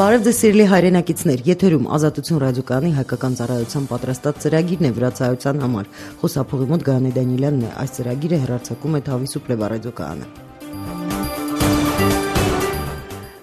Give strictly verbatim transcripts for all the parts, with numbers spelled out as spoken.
Բարև ձեզ սիրելի հայրենակիցներ, եթերում Ազատություն ռադիոկայանի հայկական ծառայության պատրաստած ծրագիրն է վրացայության համար։ Խոսափողի մոտ Գայանե Դանիելյանն է, այս ծրագիրը հեռարձակում է Թավի Սուպլեվա ռադիոկայանը։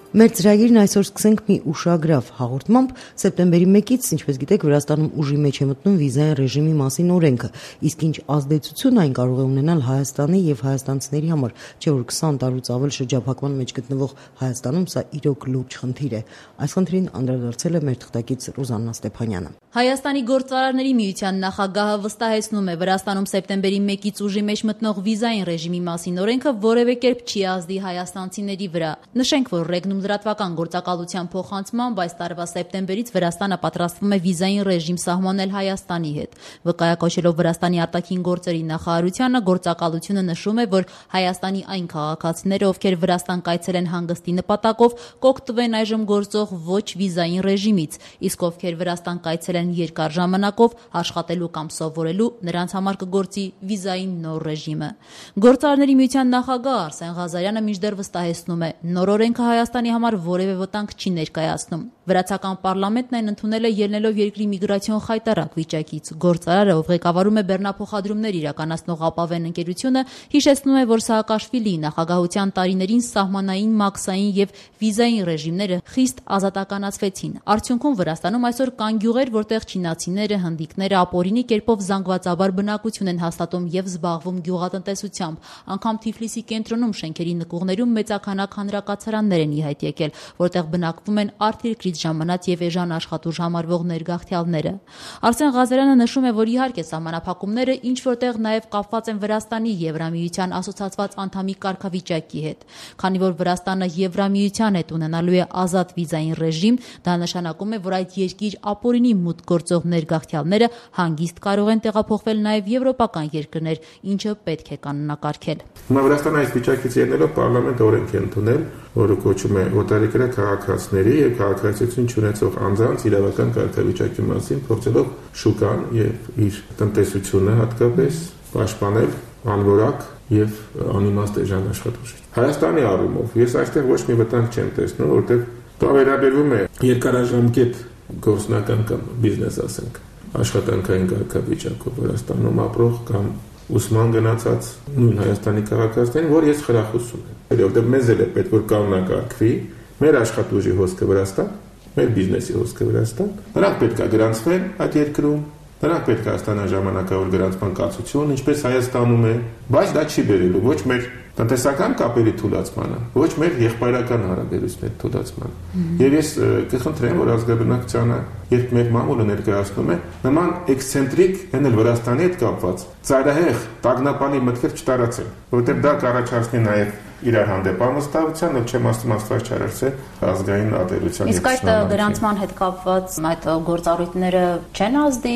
Մեր ծրագիրն այսօր սկսենք մի ուշագրավ հաղորդմամբ։ Սեպտեմբերի մեկից, ինչպես գիտեք, Վրաստանում ուժի մեջ է մտնում վիզային ռեժիմի մասին օրենքը, իսկ ինչ ազդեցություն այն կարող է ունենալ Հայաստանի եւ հայաստանցիների համար, չէ՞ որ քսան տարուց ավել շրջափակման մեջ գտնվող Հայաստանում սա իրոք լուրջ խնդիր է։ Այս խնդրին անդրադարձել է մեր թղթակից Ռուզաննա Ստեփանյանը։ Հայաստանի գործարարների միության նախագահը վստահեցնում է, Վրաստանում սեպտեմբերի մեկից ուժի մեջ մտնող վիզային ռեժիմի մասին օրենքը որևէ կերպ չի ազդի հայաստանցիների վրա։ Նշենք, որ ռեգնում լրատվական գործակալության փոխանցմամբ այս տարվա սեպտեմբերից Վրաստանը պատրաստվում է վիզային ռեժիմ սահմանել Հայաստանի հետ։ Վկայակոչելով Վրաստանի արտաքին գործերի նախարարությանը, գործակալությունը նշում է, որ Հայաստանի այն քաղաքացիները, ովքեր Վրաստան կայցելեն հանգստի նպատակով, կօգտվեն այժմ գործող ոչ վիզային ռեժիմից, իսկ ովքեր Վրաստան կայցելեն երկար ժամանակով աշխատելու կամ սովորելու, նրանց համար կգործի վիզային նոր ռեժիմը։ Գործարարների միության նախագահ Արսեն Ղազարյանը մինչդեռ վստահեցնում է, նոր օրենքը Հայաստանի համար որևէ վտանգ չի ներկայացնում։ Վրացական պարլամենտն այն ընդունել է ելնելով երկրի միգրացիոն խայտառակ վիճակից։ Գործարարը, ով ղեկավարում է բեռնափոխադրումներ իրականացնող ապավեն ընկերությունը, հիշեցնում է, որ Սաակաշվիլիի նախագահության տարիներին սահմանային, մաքսային եւ վիզային ռեժիմները խիստ ազատականացվեցին։ Արդյունքում Վրաստանում այսօր կան գյուղեր, որտեղ չինացիները, հնդիկները ապօրինի կերպով զանգվածաբար բնակություն են հաստատում եւ զբաղվում գյուղատնտեսությամբ։ Անգամ Թիֆլիսի կենտրոնում շենքերի նկուղներում մեծաքանակ հանրակացարաններ են ի հայտ եկել, որտեղ բնակվում են արտերկրից ժամանած եւ էժան աշխատուժ համարվող ներգաղթյալները։ Արսեն Ղազարյանը նշում է, որ իհարկե սահմանափակումները ինչ որտեղ նաեւ կապված են Վրաստանի Եվրամիության ասոցացված անդամի կարգավիճակի հետ։ Քանի որ Վրաստանը Եվրամիության հետ ունենալու է ազատ վիզային ռեժիմ, դա նշանակում է, որ այդ երկիր ապօրինի մուտք գործող ներգաղթյալները հանգիստ կարող են տեղափոխվել նաեւ եվրոպական երկրներ, ինչը պետք է կանոնակարգել։ Հիմա Վրաստանը այս վիճակից ելնելով պարլամենտը օրենք է ընդունել, որը կոչվում է օտարերկրյա քաղաքացիների եւ քաղաքացիություն չունեցող անձանց իրավական կարգավիճակի մասին, փորձելով շուկան եւ իր տնտեսությունը հատկապես պաշտպանել անորակ եւ անիմաստ էժան աշխատուժի։ Հայաստանի առումով ես այստեղ ոչ մի վտանգ չեմ տեսնում, որովհետեւ դա վերաբերվում է երկարաժամկետ գործնական կամ բիզնես, ասենք, աշխատանքային կարգավիճակով Վրաստանում ապրող կամ ուսման գնացած նույն Հայաստանի քաղաքացիներին, որ ես խրախուսում եմ, որովհետև մեզ էլ է պետք որ կանոնակարգվի մեր աշխատուժի հոսքը Վրաստան, մեր բիզնեսի հոսքը Վրաստան, նրանք պետք է գրանցվեն այդ երկրում, նրանք պետք է ստանան ժամանակավոր գրանցման կացություն, ինչպես Հայաստանում է, բայց դա չի բերելու ոչ մեր տնտեսական կապերի թուլացմանը, ոչ մեր եղբայրական հարաբերությունների թուլացմանը։ Եվ ես կխնդրեմ, որ ազգաբնակչությանը, երբ մեր մամուլը ներկայացնում է, նման էքսցենտրիկ, հեն էլ Վրաստանի հետ կապված, ծայրահեղ, տագնապանի մտքեր չտարածեն, որովհետև դա կառաջացնի նաև իրար հանդեպ ամստավության, ով չեմ ասում աստված չարարցել ազգային ատելության։ Իսկ այդ գրանցման հետ կապված այդ գործառույթները չեն ազդի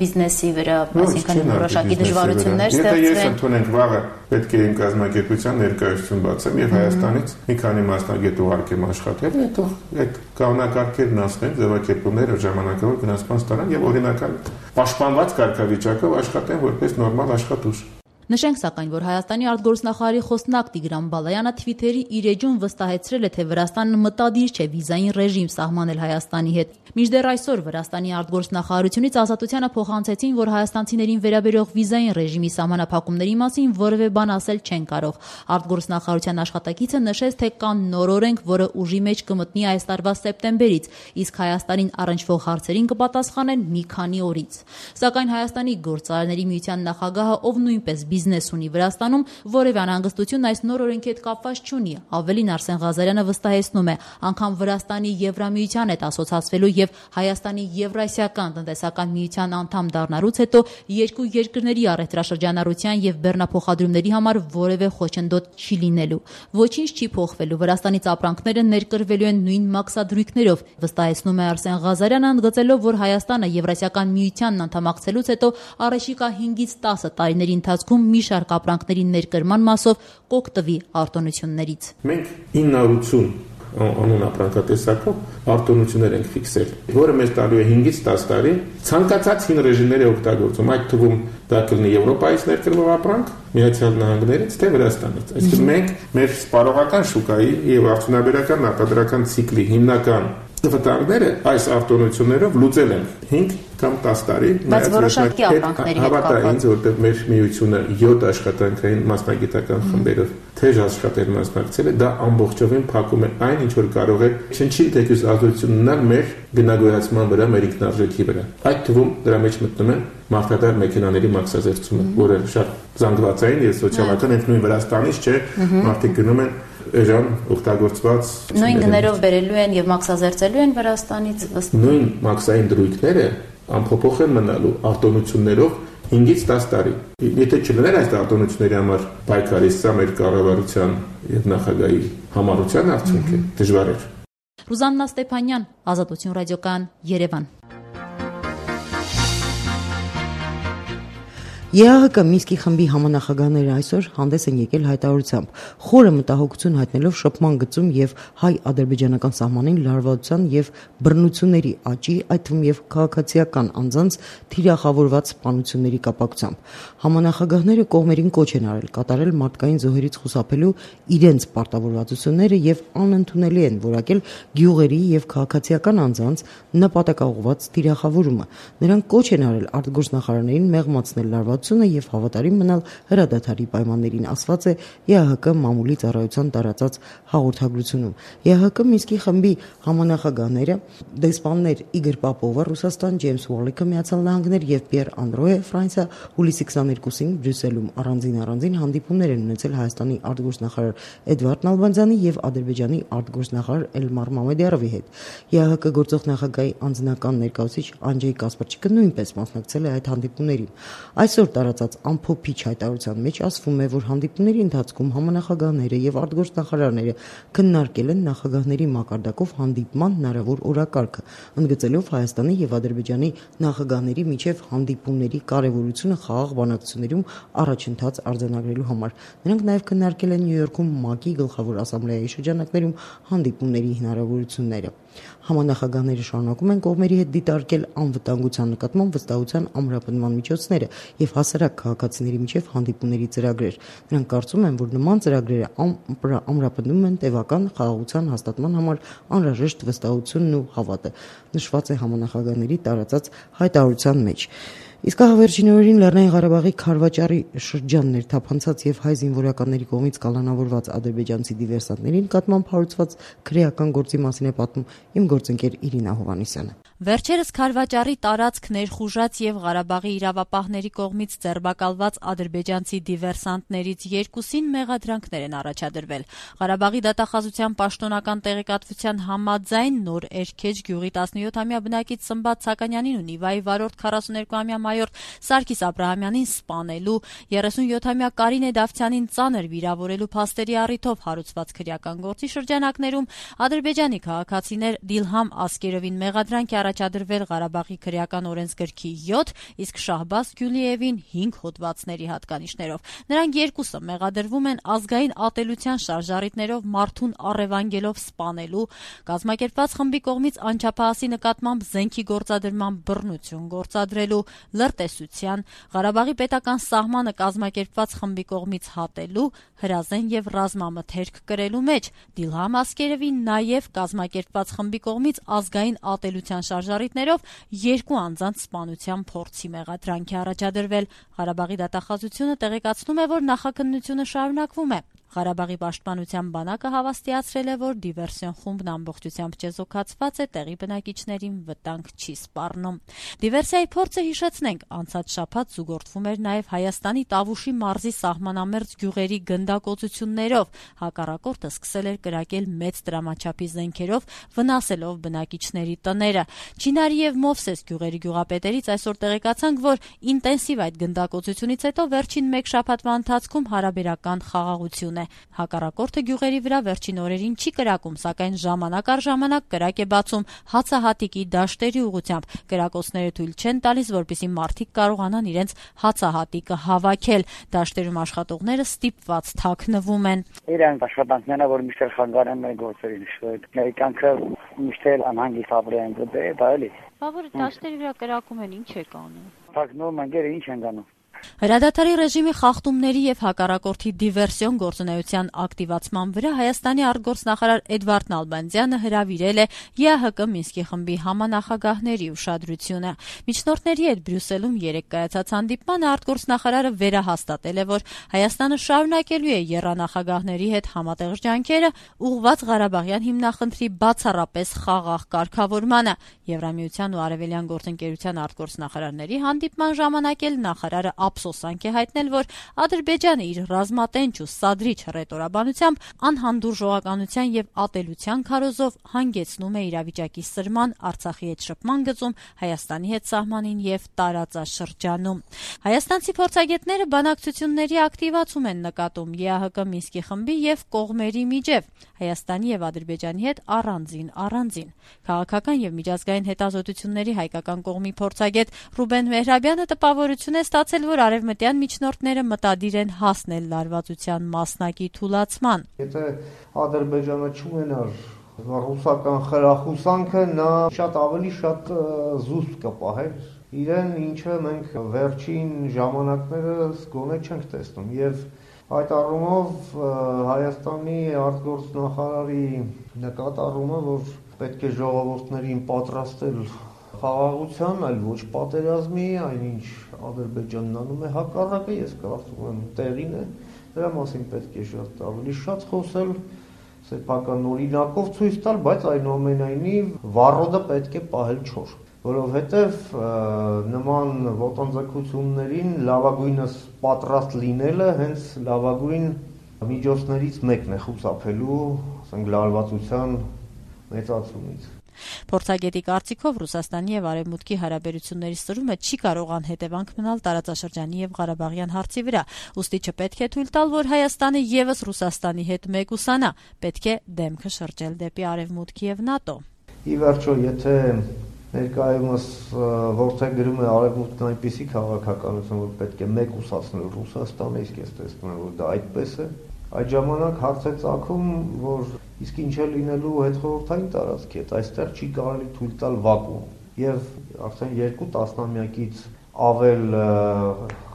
բիզնեսի վրա, այսինքն որոշակի դժվարություններ ստեղծվեն։ Եթե ես ընդունենք վաղը պետք է իմ կազմակերպության ներկայացություն բացեմ եւ Հայաստանից մի քանի մասնագետ ուղարկեմ աշխատել, հետո այդ կանոնակարգերն ասնեն, ձևակերպումները ժամանակավոր գնացման ստանան եւ օրինական պաշտպանված կարգավիճակով աշխատեն որպես նորմալ աշխատուժ։ Նշենք սակայն, որ Հայաստանի արտգործնախարարի խոսնակ Տիգրան Բալայանը Թվիթերի իր էջում վստահեցրել է, թե Վրաստանը մտադիր չէ վիզային ռեժիմ սահմանել Հայաստանի հետ։ Մինչդեռ այսօր Վրաստանի արտգործնախարարությունից Ազատությանը փոխանցեցին, որ հայաստանցիներին վերաբերող վիզային ռեժիմի սահմանափակումների մասին որևէ բան ասել չեն կարող։ Արտգործնախարարության աշխատակիցը նշեց, թե կան նոր օրենք, որը ուժի մեջ կմտնի այս տարվա սեպտեմբերից, իսկ Հայաստանին առնչվող հարցերին կպատասխանեն մի քանի օրից։ Սակայն Հայաստանի գործարարների միության նախագահը, ով նույնպես բիզնես ունի Վրաստանում, որևէ անհանգստություն այս նոր օրենքի հետ կապված չունի։ Ավելին Արսեն Ղազարյանը վստահեցնում է, անգամ Վրաստանի Եվրամիության հետ ասոցացվելու եւ Հայաստանի Եվրասիական տնտեսական միության անդամ դառնալուց հետո երկու երկրների առևտրաշրջանառության եւ բեռնափոխադրումների համար որևէ խոչընդոտ չի լինելու։ Ոչինչ չի փոխվելու։ Վրաստանից ապրանքները ներկրվելու են նույն մաքսադրույքներով, վստահեցնում է Արսեն Ղազարյանը, ընդգծելով, որ Հայաստանը Եվրասիական միությանն անդամակցելուց հետո առաջիկա հինգից տասը տարիների ընթացքում մի շարք ապրանքների ներկրման մասով կօգտվի արտոնություններից։ Մենք ինը հարյուր ութ անուն ապրանքատեսակով արտոնություններ ենք ֆիքսել, որը մեզ տալու է հինգից տասը տարի ցանկացած հին ռեժիմների օգտագործում, այդ թվում դա կլինի Եվրոպայից ներկրվող ապրանք, Միացյալ Նահանգներից թե Վրաստանից։ Այսինքն մենք մեր սպառողական շուկայի եւ արդյունաբերական արտադրական ցիկլի հիմնական վտանգները այս արտոնություններով լուծել են հինգ կամ տասը տարի։ Բայց որոշակի ապրանքների հետ կապված։ Ինձ որտեղ մեր միությունը յոթ աշխատանքային մասնագիտական խմբերով թեժ աշխատել մասնակցել է, դա ամբողջովին փակում է այն, ինչ որ կարող է չնչի թեկուզ ազդեցություն ունենալ մեր գնագոյացման վրա, մեր ինքնարժեքի վրա։ Այդ թվում դրա մեջ մտնում են մարդատար մեքենաների մաքսազերծումը, որը շատ զանգվածային եւ սոցիալական են նույն Վրաստանից չէ, մարդիկ գնում են Էժան օգտագործված նույն գներով բերելու են եւ մաքսազերծելու են Վրաստանից ըստ նույն մաքսային դրույթները ամփոփող են մնալու արտոնություններով հինգից տասը տարի։ Եթե չլիներ այս արտոնությունների համար պայքարի, սա մեր կառավարության եւ նախագահի համառության արդյունք է, դժվար էր։ Ռուզաննա Ստեփանյան, Ազատություն ռադիոկայան, Երևան։ ԵԱՀԿ Մինսկի խմբի համանախագահները այսօր հանդես են եկել հայտարարությամբ, խորը մտահոգություն հայտնելով շփման գծում եւ հայ-ադրբեջանական սահմանին լարվածության եւ բռնությունների աճի, այդ թվում եւ քաղաքացիական անձանց թիրախավորված սպանությունների կապակցությամբ։ Համանախագահները կողմերին կոչ են արել կատարել մարդկային զոհերից խուսափելու իրենց պարտավորվածությունները եւ անընդունելի են որակել գյուղերի եւ քաղաքացիական անձանց նպատակաուղղված թիրախավորումը։ Նրանք կոչ են արել արտգործնախարարներին մեղմացնել լարված եւ հավատարիմ մնալ հրադադարի պայմաններին, ասված է ԵԱՀԿ մամուլի ծառայության տարածած հաղորդագրությունում։ ԵԱՀԿ Մինսկի խմբի համանախագահները դեսպաններ Իգոր Պապովը Ռուսաստան, Ջեյմս Ուոլիկը Միացյալ Նահանգներ եւ Պիեր Անդրոյը Ֆրանսիա հուլիսի քսաներկուսին Բրյուսելում առանձին առանձին հանդիպումներ են ունեցել Հայաստանի արտգործնախարար Էդվարդ Նալբանդյանի եւ Ադրբեջանի արտգործնախարար Էլմար Մամեդյարովի հետ։ ԵԱՀԿ գործող նախագահի անձնական ներկայացուցիչ Անջեյ Կասպարչիկը նույնպես մասնակցել է այդ հանդիպումներին։ Այսօր տարածած ամփոփիչ հայտարարության մեջ ասվում է, որ հանդիպումների ընթացքում համանախագահները եւ արտգործնախարարները քննարկել են նախագահների մակարդակով հանդիպման հնարավոր օրակարգը, ընդգծելով Հայաստանի եւ Ադրբեջանի նախագահների միջև հանդիպումների կարեւորությունը խաղաղ բանակցություններում առաջընթաց արձանագրելու համար։ Նրանք նաեւ քննարկել են Նյու Յորքում ՄԱԿ-ի գլխավոր ասամբլեայի շրջանակներում հանդիպումների հնարավորությունները։ Համանախագահները շարունակում են կողմերի հետ դիտարկել անվտանգության նկատմամբ վստահության ամրապնդման միջոցները եւ հասարակ քաղաքացիների միջև հանդիպումների ծրագրեր։ Նրանք կարծում են, որ նման ծրագրերը ամրապնդում են տևական խաղաղության հաստատման համար անհրաժեշտ վստահությունն ու հավատը, նշված է համանախագահների տարածած հայտարարության մեջ։ Իսկ ահավերջին օրերին Լեռնային Ղարաբաղի Քարվաճարի շրջաններ թափանցած եւ հայ զինվորականների կողմից կալանավորված ադրբեջանցի դիվերսանտների նկատմամբ հարուցված քրեական գործի մասին է պատմում իմ գործընկեր Իրինա Հովհաննիսյանը։ Վերջերս Քարվաճարի տարածք ներխուժած եւ Ղարաբաղի իրավապահների կողմից ձերբակալված ադրբեջանցի դիվերսանտներից երկուսին մեղադրանքներ են առաջադրվել։ Ղարաբաղի դատախազության պաշտոնական տեղեկատվության համաձայն նոր Էրքեջ գյուղի տասնյոթամյա բնակիչ Սմբատ Սականյանին ու Նիվայի վարորդ քառասուներկուամյա մայոր Սարգիս Աբրահամյանին սպանելու, երեսունյոթամյա Կարինե Դավթյանին ծանր վիրավորելու փաստերի առիթով հարուցված քրեական գործի շրջանակներում ադրբեջանի քաղաքացիներ Դիլհամ Ասկերովին մեղադրանք առաջադրվել Ղարաբաղի քրեական օրենսգրքի յոթ, իսկ Շահբազ Գյուլիևին հինգ հոդվածների հատկանիշներով։ Նրանք երկուսը մեղադրվում են ազգային ատելության շարժառիթներով մարդուն առևանգելով սպանելու, կազմակերպված խմբի կողմից անչափահասի նկատմամբ զենքի գործադրման բռնություն գործադրելու, լրտեսության, Ղարաբաղի պետական սահմանը կազմակերպված խմբի կողմից հատելու, հրազեն եւ ռազմամթերք կրելու մեջ, Դիլհամ Ասկերովին նաեւ կազմակերպված խմբի կողմից ազգային ատելության շարժառիթներով երկու անձանց սպանության փորձի մեղադրանք է առաջադրվել։ Ղարաբաղի դատախազությունը տեղեկացնում է, որ նախաքննությունը շարունակվում է։ Ղարաբաղի պաշտպանության բանակը հավաստիացրել է, որ դիվերսիոն խումբն ամբողջությամբ չեզոքացված է, տեղի բնակիչներին վտանգ չի սպառնում։ Դիվերսիայի փորձը հիշեցնենք, անցած շաբաթ զուգորդվում էր նաև Հայաստանի Տավուշի մարզի սահմանամերձ գյուղերի գնդակոծություններով։ Հակառակորդը սկսել էր կրակել մեծ դրամաչափի զենքերով, վնասելով բնակիչների տները։ Չինարի եւ Մովսես գյուղերի գյուղապետերից այսօր տեղեկացանք, որ ինտենսիվ այդ գնդակոծությունից հետո վերջին մեկ շաբաթվա ընթացքում հարաբերական խաղաղություն է։ Հակառակորդը գյուղերի վրա վերջին օրերին չի կրակում, սակայն ժամանակ առ ժամանակ կրակ է բացում հացահատիկի դաշտերի ուղղությամբ։ Կրակոցները թույլ չեն տալիս, որպեսզի մարդիկ կարողանան իրենց հացահատիկը հավաքել։ Դաշտերում աշխատողները ստիպված թաքնվում են։ Իրենք աշխատանքները, որ միշտ խանգարում են գործերին, ներկանքը միշտ անհանգիստ ապրեն, դա էլի։ Բա որ դաշտերի վրա կրակում են, ինչ է կանում։ Թաքնվում են, գեր ինչ են անում։ Հրադադարի ռեժիմի խախտումների եւ հակառակորդի դիվերսիոն գործունեության ակտիվացման վրա Հայաստանի արտգործնախարար Էդվարդ Նալբանդյանը հրավիրել է ԵԱՀԿ Մինսկի խմբի համանախագահների ուշադրությունը։ Միջնորդների հետ Բրյուսելում երեկ կայացած հանդիպմանը արտգործնախարարը վերահաստատել է, որ Հայաստանը շարունակելու է եռանախագահների հետ համատեղ ջանքերը ուղղված Ղարաբաղյան հիմնախնդրի բացառապես խաղաղ կարգավորմանը։ Եվրամիության ու Արևելյան գործընկերության արտգործնախարարների հանդիպման ժամանակ էլ նախարարը ափսոսանք է հայտնել, որ Ադրբեջանը իր ռազմատենչ ու սադրիչ հռետորաբանությամբ անհանդուրժողականության եւ ատելության քարոզով հանգեցնում է իրավիճակի սրման Արցախի հետ շփման գծում, Հայաստանի հետ սահմանին եւ տարածաշրջանում։ Հայաստանցի փորձագետները բանակցությունների ակտիվացում են նկատում ԵԱՀԿ Մինսկի խմբի եւ կողմերի միջև, Հայաստանի եւ Ադրբեջանի հետ առանձին առանձին։ Քաղաքական եւ միջազգային հետազոտությունների հայկական կողմի փորձագետ Ռուբեն Մեհրաբյանը տպավորություն է ստացել, որ արևմտյան միջնորդները մտադիր են հասնել լարվածության մասնակի թուլացման։ Եթե Ադրբեջանը չունենար ռուսական խրախուսանքը, նա շատ ավելի շատ զուսպ կպահեր իրեն, ինչը մենք վերջին ժամանակներս գոնե չենք տեսնում, եւ այդ առումով Հայաստանի արտգործնախարարի նկատառումը, որ պետք է ժողովուրդներին պատրաստել խաղաղության, այլ ոչ պատերազմի, այնինչ Ադրբեջանն անում է հակառակը, ես կարծում եմ տեղին է, դրա մասին պետք է շատ ավելի շատ խոսել, սեփական օրինակով ցույց տալ, բայց այնուամենայնիվ վառոդը պետք է պահել չոր, որովհետև նման ոտնձգություններին լավագույնս պատրաստ լինելը հենց լավագույն միջոցներից մեկն է խուսափելու, ասենք, լարվածության մեծացումից։ Փորձագետի կարծիքով Ռուսաստանի եւ Արևմուտքի հարաբերությունների սրումը չի կարող անհետևանք մնալ տարածաշրջանի եւ Ղարաբաղյան հարցի վրա, ուստի չպետք է թույլ տալ, որ Հայաստանը եւս Ռուսաստանի հետ մեկուսանա, պետք է դեմքը շրջել դեպի Արևմուտք եւ ՆԱՏՕ։ Ի վերջո, եթե ներկայումս որդեգրում է Արևմուտքն այնպիսի քաղաքականություն, որ պետք է մեկուսացնել Ռուսաստանը, իսկ ես տեսնում եմ, որ դա այդպես է, այդ ժամանակ հարց է ծագում, որ իսկ ինչ է լինելու հետխորհրդային տարածքի հետ, այստեղ չի կարելի թույլ տալ վակուում, եւ արդեն երկու տասնամյակից ավել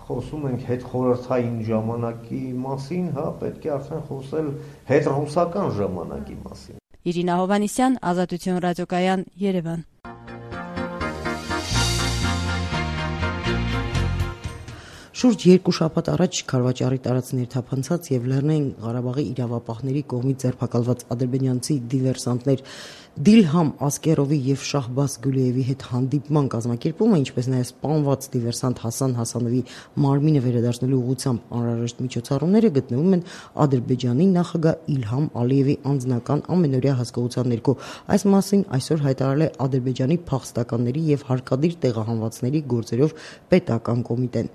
խոսում ենք հետխորհրդային ժամանակի մասին, հա, պետք է արդեն խոսել հետռուսական ժամանակի մասին։ Իրինա Հովհաննիսյան, Ազատություն ռադիոկայան, Երևան։ Շուրջ երկու շաբաթ առաջ Քարվաճառի տարածքներ թափանցած եւ Լեռնային Ղարաբաղի իրավապահների կողմից ձերբակալված ադրբեջանցի դիվերսանտներ Դիլհամ Ասկերովի եւ Շահբազ Գուլիևի հետ հանդիպման կազմակերպումը, ինչպես նաեւ սպանված դիվերսանտ Հասան Հասանովի մարմինը վերադարձնելու ուղղությամբ անհրաժեշտ միջոցառումները գտնվում են Ադրբեջանի նախագահ Իլհամ Ալիևի անձնական ամենօրյա հասկացության ներքո։ Այս մասին այսօր հայտարարել է Ադրբեջանի փախստականների եւ հարկադիր տեղահանվածների գործերով պետական կոմիտեն։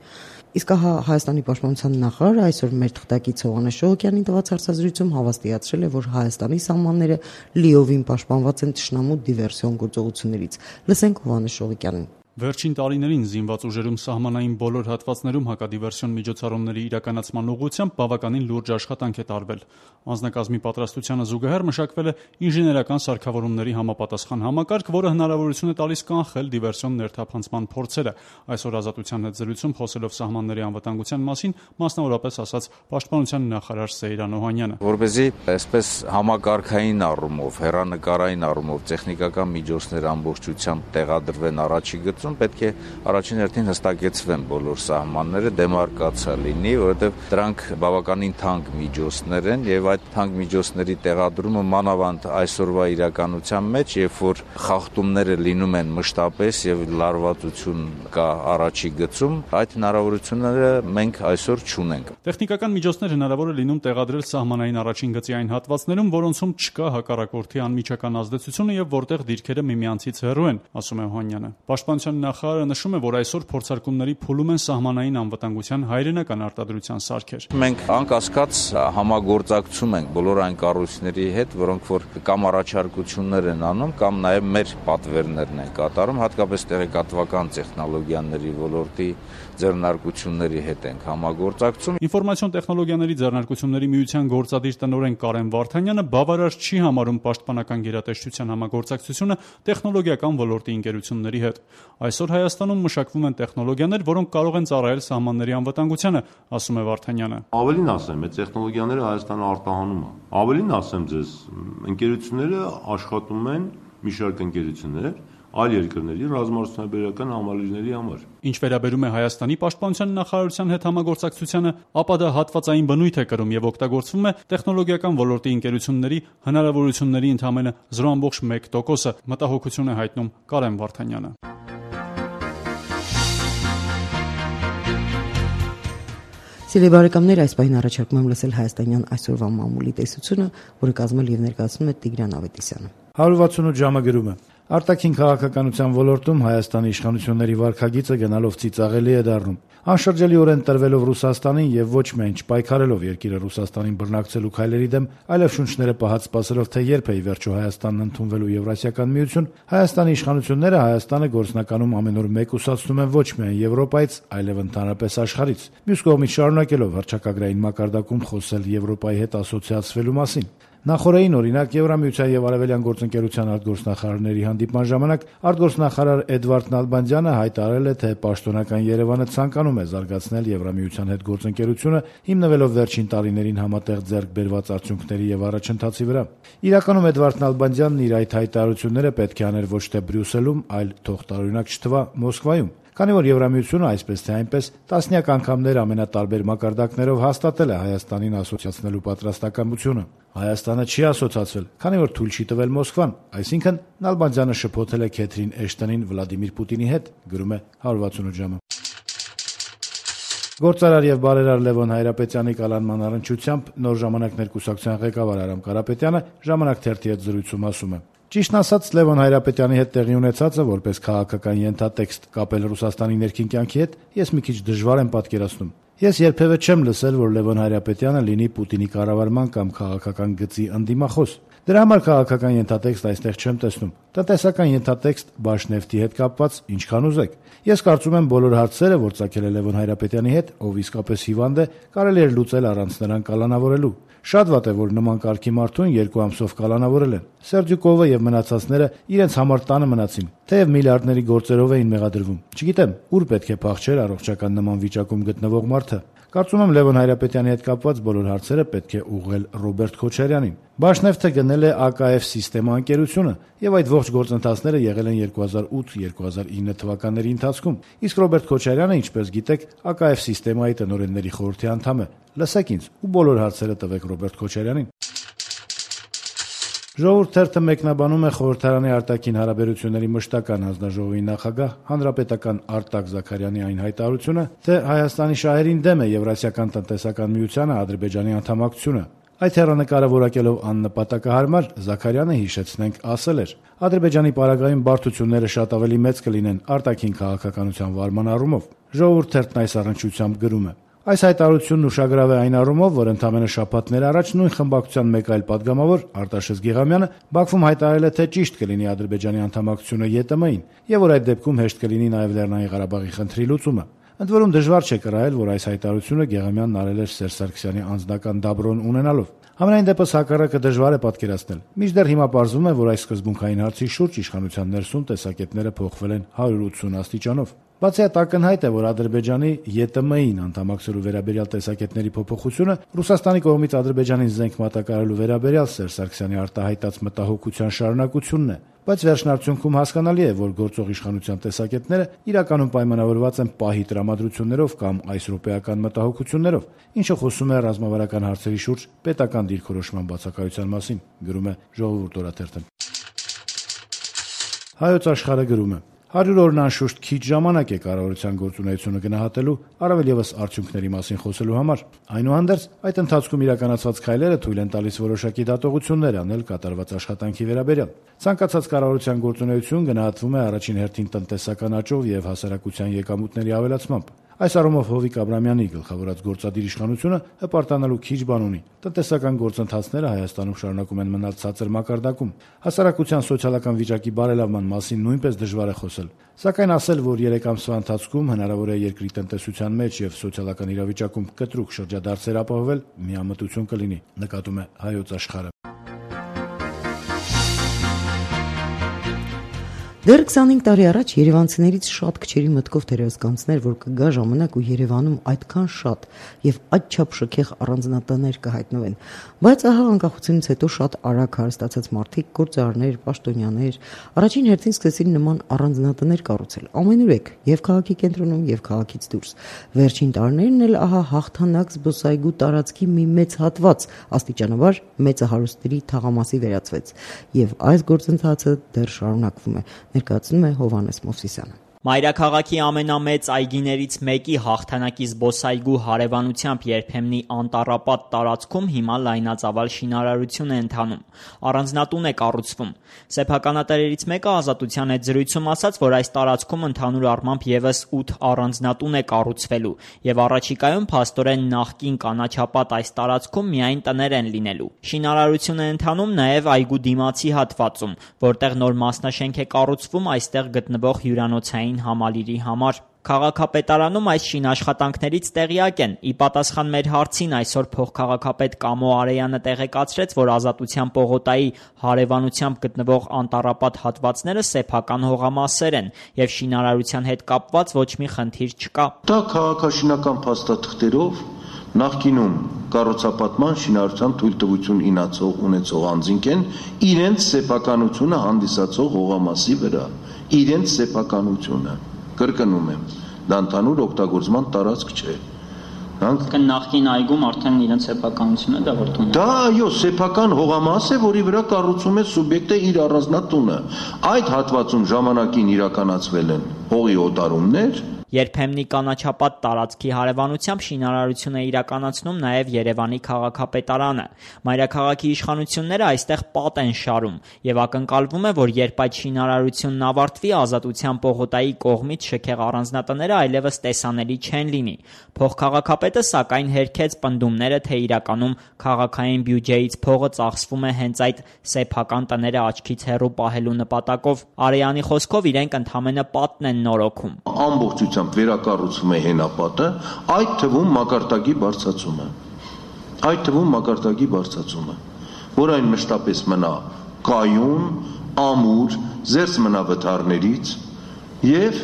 Իսկ հա Հայաստանի պաշտպանության նախարարը այսօր մեր թղթակից Հովհաննես Շողոկյանին տված հարցազրույցում հավաստիացրել է, որ Հայաստանի սահմանները լիովին պաշտպանված են թշնամու դիվերսիոն գործողություններից։ Լսենք Հովհաննես Շողոկյանին։ Վերջին տարիներին զինված ուժերում սահմանային բոլոր հատվածներում հակադիվերսիոն միջոցառումների իրականացման ուղղությամբ բավականին լուրջ աշխատանք է տարվել։ Անձնակազմի պատրաստությանը զուգահեռ մշակվել է ինժեներական սարքավորումների համապատասխան համակարգ, որը հնարավորություն է տալիս կանխել դիվերսիոն ներթափանցման փորձերը։ Այսօր Ազատության հետ զրույցում խոսելով սահմանների անվտանգության մասին, մասնավորապես ասաց պաշտպանության նախարար Սեյրան Օհանյանը։ Որպեսզի այսպես համակարգային առումով, հեռանկարային առումով տեխնիկական միջոցներ ամբողջությամբ տեղադրվեն առաջի գծում, պետք է առաջին հերթին հստակեցվեն բոլոր սահմանները, դեմարկացիա լինի, որովհետև դրանք բավականին թանկ միջոցներ են եւ այդ թանկ միջոցների տեղադրումը մանավանդ այսօրվա իրականության մեջ, երբ որ խախտումները լինում են մշտապես եւ լարվածություն կա առաջի գծում, այդ հնարավորությունները մենք այսօր չունենք։ Տեխնիկական միջոցներ հնարավոր է լինում տեղադրել սահմանային առաջին գծի այն հատվածներում, որոնցում չկա հակառակորդի անմիջական ազդեցությունը եւ որտեղ դիրքերը միմյանցից հեռու են, ասում է Օհանյանը։ Պաշտպանության նախարարը նշում է, որ այսօր փորձարկումների փուլում են սահմանային անվտանգության հայրենական արտադրության սարքեր։ Մենք անկասկած համագործակցում ենք բոլոր այն կառույցների հետ, որոնք որ կամ առաջարկություններ են անում, կամ նաև մեր պատվերներն են կատարում, հատկապես տեղեկատվական տեխնոլոգիաների ոլորտի ձեռնարկությունների հետ ենք համագործակցում։ Ինֆորմացիոն տեխնոլոգիաների ձեռնարկությունների միության գործադիր տնօրեն Կարեն Վարդանյանը բավարար չի համարում պաշտպանական գերատեսչության համագործակցությունը տեխնոլոգիական ոլորտի ընկերությունների հետ։ Այսօր Հայաստանում մշակվում են տեխնոլոգիաներ, որոնք կարող են ծառայել սահմանների անվտանգությանը, ասում է Վարդանյանը։ Ավելին ասեմ, այդ տեխնոլոգիաները Հայաստանը արտահանում է։ Ավելին ասեմ ձեզ, ընկերությունները աշխատում են մի շարք ընկերություններ այլ երկրների ռազմարտությունաբերական համալիրների համար։ Ինչ վերաբերում է Հայաստանի պաշտպանության նախարարության հետ համագործակցությանը, ապա դա հատվածային բնույթ է կրում եւ օգտագործվում է տեխնոլոգիական ոլորտի ընկերությունների հնարավորությունների ընդամենը զրո տասնմեկ տոկոսը, մտահոգություն է հայտնում Կարեն Վարդանյանը։ Սիրելի բարեկամներ, այս պահին առաջարկում եմ լսել հայաստանյան այսօրվա մամուլի տեսությունը, որը կազմել եւ ներկայացնում է Տիգրան Ավետիսյանը։ հարյուր վաթսունութ ժամը գրում է. Արտաքին քաղաքականության ոլորտում Հայաստանի իշխանությունների վարքագիծը գնալով ծիծաղելի է դառնում։ Անշրջելիորեն տրվելով Ռուսաստանին եւ ոչ միայն չպայքարելով երկիրը Ռուսաստանին բռնակցելու քայլերի դեմ, այլև շունչները պահած սպասելով, թե երբ է ի վերջո Հայաստանն ընդունվելու Եվրասիական միություն, Հայաստանի իշխանությունները Հայաստանը գործնականում ամեն օր մեկուսացնում են ոչ միայն Եվրոպայից, այլև ընդհանրապես աշխարհից։ Մյուս կողմից շարունակելով հռչակագրային մակարդակում խոսել Եվրոպայի հետ ասոցիացվելու մասին։ Նախորդին օրինակ Եվրամիության եւ Արևելյան գործընկերության արտգործնախարարների հանդիպման ժամանակ արտգործնախարար Էդվարդ Նալբանդյանը հայտարարել է, թե պաշտոնական Երևանը ցանկանում է զարգացնել Եվրամիության հետ գործընկերությունը, հիմնվելով վերջին տարիներին համատեղ ձեռք բերված արդյունքների եւ առաջընթացի վրա։ Իրականում Էդվարդ Նալբանդյանն իր այդ հայտարարությունները պետք է աներ ոչ թե Բրյուսելում, այլ թողտարօրինակ չթվա Մոսկվայում։ Քանի որ Եվրամիությունը այսպես թե այնպես տասնյակ անգամներ ամենատարբեր մակարդակներով հաստատել է Հայաստանին ասոցիացնելու պատրաստակամությունը, Հայաստանը չի ասոցացվել, քանի որ թույլ չի տվել Մոսկվան, այսինքն Նալբանդյանը շփոթել է Քեթրին Էշտոնին Վլադիմիր Պուտինի հետ, գրում է հարյուր վաթսունութ ժամը։ Գործարար եւ բարերար Լևոն Հայրապետյանի կալանման առնչությամբ Նոր ժամանակներ կուսակցության ղեկավար Արամ Կարապետյանը Ժամանակ թերթի հետ զրույցում ասում է. Ճիշտն ասած, Լևոն Հայրապետյանի հետ տեղի ունեցածը որպես քաղաքական ենթատեքստ կապել Ռուսաստանի ներքին կյանքի հետ, ես մի քիչ դժվար եմ պատկերացնում։ Ես երբևէ չեմ լսել, որ Լևոն Հայրապետյանը լինի Պուտինի կառավարման կամ քաղաքական գծի ընդդիմախոս։ Դրա համար քաղաքական ենթատեքստ այստեղ չեմ տեսնում։ Տնտեսական ենթատեքստ Բաշնեֆտի հետ կապված ինչքան ուզեք։ Ես կարծում եմ բոլոր հարցերը, որ ծագել է Լևոն Հայրապետյանի հետ, ով իսկապես հիվանդ է, կարելի էր լուծել առանց նրան կալանավորելու։ Շատ վատ է, որ նման կարգի մարդուն երկու ամսով կալանավորել են։ Սերդյուկովը եւ մնացածները իրենց համար տանը մնացին, թեև միլիարդների գործերով էին մեղադրվում։ Չգիտեմ, ուր պետք է փախչեր առողջական նման վիճակում գտնվող մարդը։ Կարծում եմ Լևոն Հայրապետյանի հետ կապված բոլոր հարցերը պետք է ուղղել Ռոբերտ Քոչարյանին։ Բաշնեֆտը գնել է A K F Սիստեմա ընկերությունը եւ այդ ողջ գործընթացները եղել են երկու հազար ութ երկու հազար ինը թվականների ընթացքում։ Իսկ Ռոբերտ Քոչարյանը, ինչպես գիտեք, A K F Սիստեմայի տնօրենների խորհրդի անդամ է։ Լսեք ինձ ու բոլոր հարցերը տվեք Ռոբերտ Քոչարյանին։ Ժողովուրդ թերթը մեկնաբանում է խորհրդարանի արտաքին հարաբերությունների մշտական հանձնաժողովի նախագահ հանրապետական Արտակ Զաքարյանի այն հայտարարությունը, թե Հայաստանի շահերին դեմ է Եվրասիական տնտեսական միությանը Ադրբեջանի անդամակցությունը։ Այդ հեռանկարը որակելով աննպատակահարմար Զաքարյանը, հիշեցնենք, ասել էր. Ադրբեջանի պարագայում բարդությունները շատ ավելի մեծ կլինեն արտաքին քաղաքականության վարման առումով։ Ժողովուրդ թերթն այս առնչությամբ գրում է. Այս հայտարարությունն ուշագրավ է այն առումով, որ ընդամենը շաբաթներ առաջ նույն խմբակցության մեկ այլ падգամավոր Արտաշես Գիղամյանը Բաքվում հայտարարել է, թե ճիշտ կլինի Ադրբեջանի անդամակցությունը Ե Տ Մ-ին, եւ որ այդ դեպքում հեշտ կլինի նաեւ Լեռնային Ղարաբաղի խնդրի լուծումը։ Ընդ որում դժվար չէ կռահել, որ այս հայտարարությունը Գեղամյանն արել էր Սերժ Սարգսյանի անձնական դաբրոն ունենալով։ Համենայն դեպս հակառակը դժվար է պատկերացնել։ Մինչդեռ հիմա պարզվում է, որ այս սկզբունքային հարցի շուրջ իշխանության ներսում տեսակետները փոխվել են հարյուր ութսուն աստիճանով։ Բացի այդ, ակնհայտ է, որ Ադրբեջանի Ե Տ Մ-ին անդամակցելու վերաբերյալ տեսակետների փոփոխությունը Ռուսաստանի կողմից Ադրբեջանին զենք մատակարարելու վերաբերյալ Սերժ Սարգսյանի արտահայտած մտահոգության շարունակությունն է, բայց վերջնարդյունքում հասկանալի է, որ գործող իշխանության տեսակետները իրականում պայմանավորված են պահի տրամադրություններով կամ այս րոպեական մտահոգություններով, ինչը խոսում է ռազմավարական հարցերի շուրջ պետական դիրքորոշման բացակայության մասին, գրում է Ժողովուրդ օրաթերթը։ Հայոց աշխարհը գրում է. Հարյուր օրն անշուշտ քիչ ժամանակ է կառավարության գործունեությունը գնահատելու, առավել ևս արդյունքների մասին խոսելու համար։ Այնուհանդերձ, այդ ընթացքում իրականացված քայլերը թույլ են տալիս որոշակի դատողություններ անել կատարված աշխատանքի վերաբերյալ։ Ցանկացած կառավարության գործունեություն գնահատվում է առաջին հերթին տնտեսական աճով եւ հասարակության եկամուտների ավելացմամբ։ Այս առումով Հովիկ Աբրամյանի գլխավորած գործադիր իշխանությունը հպարտանալու քիչ բան ունի։ Տնտեսական գործընթացները Հայաստանում շարունակում են մնալ ցածր մակարդակում։ Հասարակության սոցիալական վիճակի բարելավման մասին նույնպես դժվար է խոսել։ Սակայն ասել, որ երեք ամսվա ընթացքում հնարավոր է երկրի տնտեսության մեջ եւ սոցիալական իրավիճակում կտրուկ շրջադարձեր ապահովել, միամտություն կլինի, նկատում է Հայոց աշխարհը։ Դեռ քսանհինգ տարի առաջ երևանցիներից շատ քչերի մտքով թերևս կանցներ, որ կգա ժամանակ ու Երևանում այդքան շատ եւ այդչափ շքեղ առանձնատներ կհայտնվեն, բայց ահա անկախությունից հետո շատ արագ հարստացած մարդիկ, գործարարներ, պաշտոնյաներ առաջին հերթին սկսեցին նման առանձնատներ կառուցել ամենուրեք եւ քաղաքի կենտրոնում եւ քաղաքից դուրս։ Վերջին տարիներն էլ ահա հաղթանակ զբոսայգու տարածքի մի մեծ հատված աստիճանաբար մեծահարուստների թաղամասի վերածվեց եւ այս գործընթացը դեռ շարունակվում է, ներկայացնում է Հովհաննես Մովսիսյանը։ Մայրաքաղաքի ամենամեծ այգիներից մեկի հաղթանակի զբոսայգու հարևանությամբ երբեմնի անտառապատ տարածքում հիմա լայնածավալ շինարարություն է ընթանում, առանձնատուն է կառուցվում։ Սեփականատերերից մեկը Ազատության հետ զրույցում ասաց, որ այս տարածքում ընդհանուր առմամբ եւս ութ առանձնատուն է կառուցվելու եւ առաջիկայում փաստորեն նախկին կանաչապատ այս տարածքում միայն տներ են լինելու։ Շինարարություն է ընթանում նաեւ այգու դիմացի հատվածում, որտեղ նոր մասնաշենք է կառուցվում այստեղ գտնվող հյուրանոցային համալիրի համար։ Քաղաքապետարանում այս շինաշխատանքներից տեղյակ են։ Ի պատասխան մեր հարցին այսօր փոխքաղաքապետ Կամո Արեյանը տեղեկացրեց, որ Ազատության պողոտայի հարևանությամբ գտնվող անտառապատ հատվածները սեփական հողամասեր են եւ շինարարության հետ կապված ոչ մի խնդիր չկա։ Դա քաղաքաշինական փաստաթղթերով նախկինում կառուցապատման շինարարության թույլտվություն ինացող ունեցող անձինք են իրենց սեփականությունը հանդիսացող հողամասի վրա, իրենց սեփականությունը։ Կրկնում եմ, դա ընդհանուր օգտագործման տարածք չէ։ Դրանք նախկին այգում արդեն իրենց սեփականությունը դա որտում է։ Դա այո, սեփական հողամաս է, որի վրա կառուցում է սուբյեկտը իր առանձնատունը։ Այդ հատվածում ժամանակին իրականացվել են հողի օտարումներ։ Երբեմնի կանաչապատ տարածքի հարևանությամբ շինարարություն է իրականացնում նաև Երևանի քաղաքապետարանը։ Մայրաքաղաքի իշխանությունները այստեղ պատ են շարում եւ ակնկալվում է, որ երբ այդ շինարարությունն ավարտվի, Ազատության պողոտայի կողմից շքեղ առանձնատները այլևս տեսանելի չեն լինի։ Փոխքաղաքապետը սակայն հերքեց պնդումները, թե իրականում քաղաքային բյուջեից փողը ծախսվում է հենց այդ սեփական տները աչքից հեռու պահելու նպատակով։ Արեյանի խոսքով իրենք ընդամենը պատն են նորոգում։ Ամբողջությամբ վերակառուցվում է հենապատը, այդ թվում մակարդակի բարձրացումը։ Այդ թվում մակարդակի բարձրացումը, որ այն մշտապես մնա կայուն, ամուր, զերծ մնա վթարներից եւ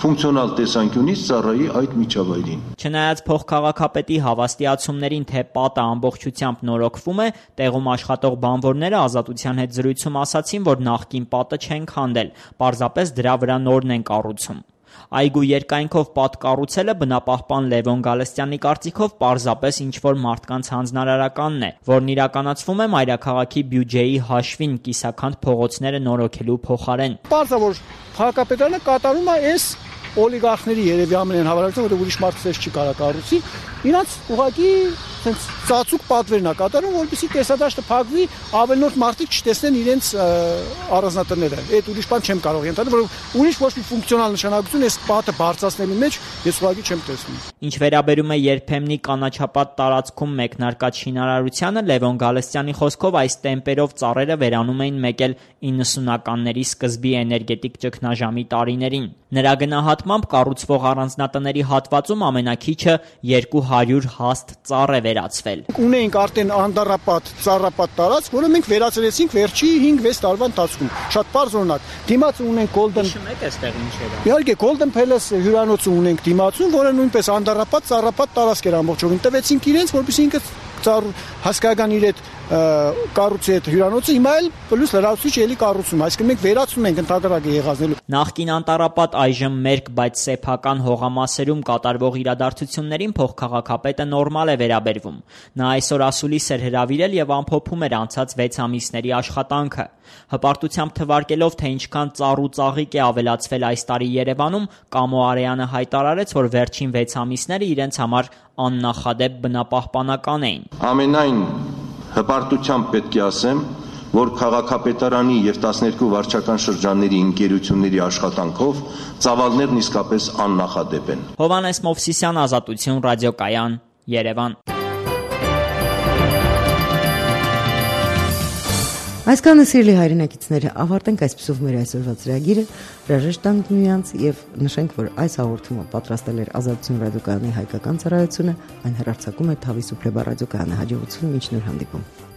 ֆունկցիոնալ տեսանկյունից ծառայի այդ միջավայրին։ Չնայած փոխքաղաքապետի հավաստիացումներին, թե պատը ամբողջությամբ նորոգվում է, տեղում աշխատող բանվորները Ազատության հետ զրույցում ասացին, որ նախկին պատը չեն քանդել, պարզապես դրա վրա նորն են կառուցում։ Այգու երկայնքով պատ կառուցելը բնապահպան Լևոն Գալստյանի կարծիքով պարզապես ինչ-որ մարդկանց հանձնարարականն է, որն իրականացվում է մայրաքաղաքի բյուջեի հաշվին կիսաքանդ փողոցները նորոգելու փոխարեն։ Պարզ է, որ քաղաքապետարանը կատարում է այս օլիգարխների երևի ամենայն հավանականությամբ, որ ուրիշ մարդ ցես չի կարող կառուցի, իրանց ուղղակի sense ծածուկ պատվերն է կատարում, որպեսզի տեսադաշտը փակվի, ավելորդ մարդիկ չտեսնեն իրենց առանձնատները։ Այդ ուրիշ բան չեմ կարող ենթադրել, որ ուրիշ ոչ մի ֆունկցիոնալ նշանակություն այս պատը բարձրացնելու մեջ ես ուղղակի չեմ տեսնում։ Ինչ վերաբերում է երբեմնի կանաչապատ տարածքում մեկնարկած շինարարությանը, Լևոն Գալստյանի խոսքով այս տեմպերով ծառերը վերանում էին մեկ էլ իննսունականների սկզբի էներգետիկ ճգնաժամի տարիներին։ Նրա գնահատմամբ կառուցվող առանձնատների հատվածում ամենակիչը երկու հարյուր հաստ ծառ է վերացվել։ Ունեինք արդեն անդառապատ, ծառապատ տարածք, որը մենք վերացրեցինք վերջի հինգ-վեց տարվա ընթացքում։ Շատ բարձր օրինակ։ Դիմացը ունենք Golden։ Հիշում եք այստեղ ինչ էր։ Իհարկե Golden Palace հյուրանոցը ունենք դիմացում, որը նույնպես անդառապատ, ծառապատ տարածք էր ամբողջովին։ Տվեցինք իրենց, որպեսզի ինքը ծառ հասկական իր այդ կառուցի այդ հյուրանոցը հիմա էլ պլյուս լրացուցիչ էլի կառուցում, այսինքն մենք վերացնում ենք ընդհանրակը եղածնելու։ Նախկին անտառապատ այժմ մերկ, բայց սեփական հողամասերում կատարվող իրադարձություններին փոխքաղաքապետը նորմալ է վերաբերվում։ Նա այսօր ասուլիս էր հրավիրել եւ ամփոփում էր անցած վեց ամիսների աշխատանքը։ Հպարտությամբ թվարկելով, թե ինչքան ծառ ու ծաղիկ է ավելացվել այս տարի Երևանում, Կամո Արեյանը հայտարարեց, որ վերջին վեց ամիսները իրենց համար աննախադեպ բնապահպանական էին։ Ամենայն հպարտությամբ պետք է ասեմ, որ քաղաքապետարանի եւ տասներկու վարչական շրջանների ընկերությունների աշխատանքով ծավալներն իսկապես աննախադեպ են։ Հովհաննես Մովսիսյան, Ազատություն, ռադիոկայան, Երևան։ Այսքանը սիրելի հայրենակիցները, ավարտենք այսպիսով մեր այսօրվա ծրագիրը, հրաժեշտ տանք միմյանց եւ նշենք, որ այս հաղորդումը պատրաստել էր Ազատություն ռադիոկայանի հայկական ծառայությունը, այն հեռարձակում է Թավի Սուպլեբա ռադիոկայանի հաջողություն, մինչ նոր հանդիպում։